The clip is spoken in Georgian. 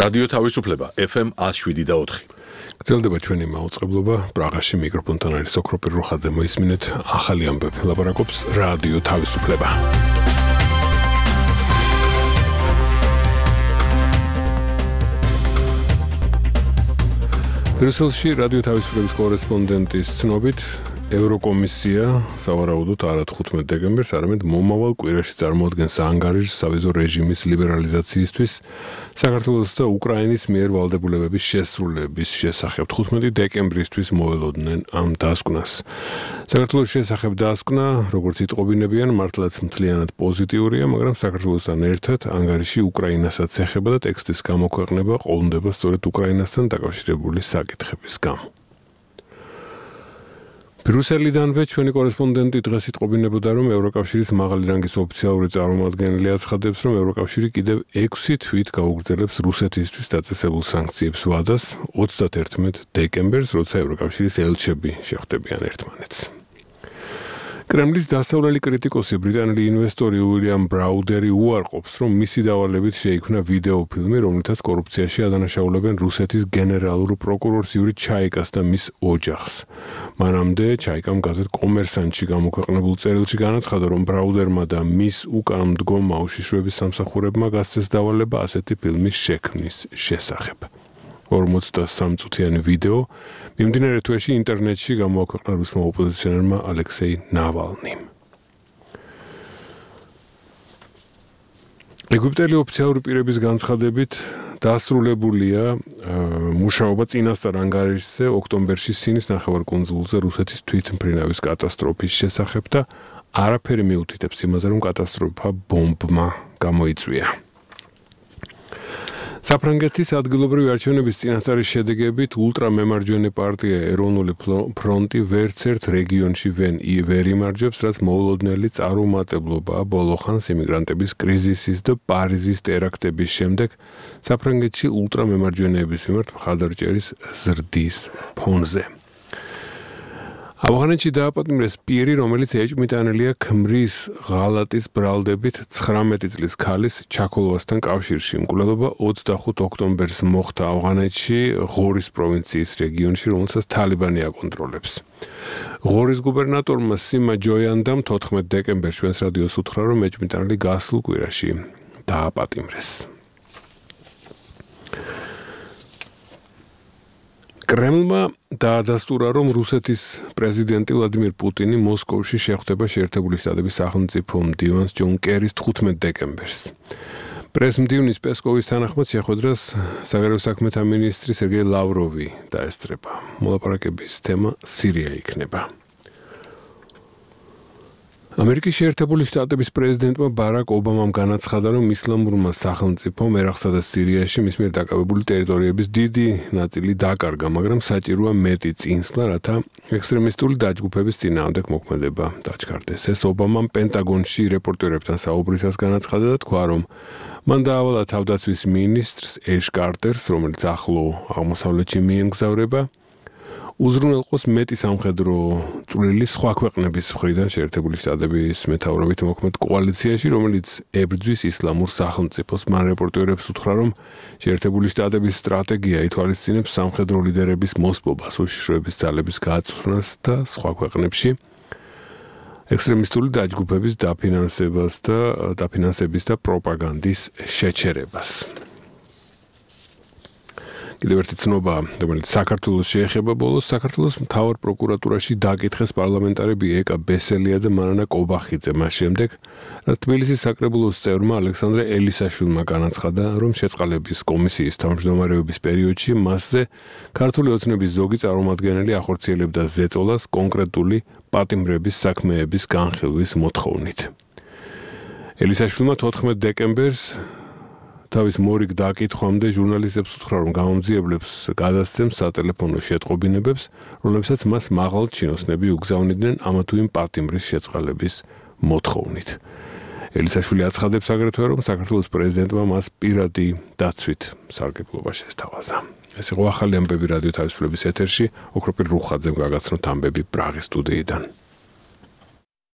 რადიო თავისუფლება FM 107.4. გრძელდება ჩვენი მაუწყებლობა პრაღაში მიკროფონთან არის ოქროპირ რუხაძე მოისმინეთ ახალი ამბები ლაპარაკობს რადიო თავისუფლება. ბრიუსელში რადიო თავისუფლების კორესპონდენტის ცნობით ევროკომისია სავარაუდოდ არა 15 დეკემბერს, არამედ მომავალ კვირაში წარმოადგენს ანგარიშს სავიზო რეჟიმის ლიბერალიზაციისთვის საქართველოს და უკრაინის მიერ ვალდებულებების შესრულების შესახებ 15 დეკემბრისთვის მოველოდნენ ამ დასკვნას. საქართველოს შესახებ დასკვნა, როგორც იტყობინებიან, მართლაც მთლიანად პოზიტიურია, მაგრამ საქართველოსთან ერთად ანგარიში უკრაინასაც ეხება და ტექსტის გამოქვეყნება ყოლმდება სწორედ უკრაინასთან დაკავშირებული საკითხების გამო. ბრიუსელიდანვე ჩვენი კორესპონდენტი დღეს იტყობინებოდა, რომ ევროკავშირის მაღალი რანგის ოფიციალური წარმომადგენელი აცხადებს, რომ ევროკავშირი კიდევ 6 თვით გაუგრძელებს რუსეთისთვის დაწესებულ სანქციებს ვადას 31 დეკემბერს, როცა ევროკავშირის ელჩები შეხვდებიან ერთმანეთს. კრემლის დასავლელი კრიტიკოსი ბრიტანელი ინვესტორი უილიამ ბრაუდერი უარყოფს, რომ მისი დავალებით შეიქმნა ვიდეოფილმი, რომლითაც კორუფციაში ადანაშაულებენ რუსეთის გენერალურ პროკურორს იური ჩაიკას და მის ოჯახს. მანამდე ჩაიკამ გაზეთ კომერსანტში გამოქვეყნებულ წერილში განაცხადა, რომ ბრაუდერმა და მის უკან მდგომ უშიშროების სამსახურებმა გასცეს დავალება ასეთი ფილმის შექმნის შესახებ. 43 წუთიანი ვიდეო მიმდინარე თვეში ინტერნეტში გამოაქვეყნა რუსმა ოპოზიციონერმა ალექსეი ნავალნიმ. ეგვიპტელი ოფიციალური პირების განცხადებით დასრულებულია მუშაობა წინასწარ ანგარიშზე ოქტომბერში სინის ნახევარკუნძულზე რუსეთის თვითმფრინავის კატასტროფის შესახებ და არაფერი მიუთითებს იმაზე, რომ კატასტროფა ბომბმა გამოიწვია. საფრანგეთის ადგილობრივი არჩევნების წინასწარი შედეგებით ულტრამემარჯვენე პარტია ეროვნული ფრონტი ვერც ერთ რეგიონში ვერ იმარჯვებს, რაც მოულოდნელი წარუმატებლობაა ბოლო ხანს იმიგრანტების კრიზისის და პარიზის ტერაქტების შემდეგ საფრანგეთში ულტრამემარჯვენეების მიმართ მხარდაჭერის ზრდის ფონზე. ავღანეთში დააპატიმრეს პირი, რომელიც ეჭვმიტანილია ქმრის ღალატის ბრალდებით 19 წლის ქალის ჩაქოლოვასთან კავშირში. მკვლელობა 25 ოქტომბერს მოხდა ავღანეთში ღორის პროვინციის რეგიონში, რომელსაც თალიბანი აკონტროლებს. ღორის გუბერნატორმა სიმა ჯოიანდამ 14 დეკემბერს ჩვენს რადიოს უთხრა, რომ ეჭვმიტანილი გასულ კვირაში დააპატიმრეს. კრემლმა დაადასტურა, რომ რუსეთის პრეზიდენტი ვლადიმირ პუტინი მოსკოვში შეხვდება შეერთებული შტატების სახელმწიფო მდივანს ჯონ კერის 15 დეკემბერს. პრესმდივნის პესკოვის თანახმად შეხვედრას საგარეო საქმეთა მინისტრი სერგეი ლავროვი დაესწრება. მოლაპარაკების თემა სირია იქნება. ამერიკის შეერთებული შტატების პრეზიდენტმა ბარაკ ობამამ განაცხადა, რომ ისლამურმა სახელმწიფომ ერაყსა და სირიაში მის მიერ დაკავებული ტერიტორიების დიდი ნაწილი დაკარგა, მაგრამ საჭიროა მეტი წინსვლა, რათა ექსტრემისტული დაჯგუფების წინააღმდეგ მოქმედება დაჩქარდეს. ეს ობამამ პენტაგონში რეპორტერებთან საუბრისას განაცხადა და თქვა, რომ მან დაავალა თავდაცვის მინისტრს ეშ კარტერს, რომელიც ახლო აღმოსავლეთში მიემგზავრება, უზრუნველყოს მეტი სამხედრო წვლილი სხვა ქვეყნების მხრიდან შეერთებული შტატების მეთაურობით მოქმედ კოალიციაში, რომელიც ებრძვის ისლამურ სახელმწიფოს. მან რეპორტერებს უთხრა, რომ შეერთებული შტატების სტრატეგია ითვალისწინებს სამხედრო ლიდერების მოსპობას, უშიშროების ძალების გაწვრთნას და სხვა ქვეყნებში ექსტრემისტული დაჯგუფების დაფინანსების და პროპაგანდის შეჩერებას. კიდევ ერთი ცნობა, რომელიც საქართველოს შეეხება ბოლოს, საქართველოს მთავარ პროკურატურაში დაკითხეს პარლამენტარები ეკა ბესელია და მარანა კობახიძე მას შემდეგ, რაც თბილისის საკრებულოს წევრმა ალექსანდრე ელისაშვილმა განაცხადა, რომ შეწყალების კომისიის თავმჯდომარეობის პერიოდში მასზე ქართული ოცნების ზოგი წარმომადგენელი ახორციელებდა ზეწოლას კონკრეტული პატიმრების საქმეების განხილვის მოთხოვნით. ელისაშვილმა 14 დეკემბერს თავის მორიგ დაკითხვამდე ჟურნალისტებს უთხრა, რომ გამომძიებლებს გადასცემს სატელეფონო შეტყობინებებს, რომლებსაც მას მაღალ ჩინოსნები უგზავნიდნენ ამა თუ იმ პატიმრის შეწყალების მოთხოვნით. ელისაშვილი აცხადებს აგრეთვე, რომ საქართველოს პრეზიდენტმა მას პირადი დაცვით სარგებლობა შესთავაზა. ეს იყო ახალი ამბები რადიო თავისუფლების ეთერში, ოქროპირ რუხაძემ გაგაცნოთ ამბები პრაღის სტუდიიდან.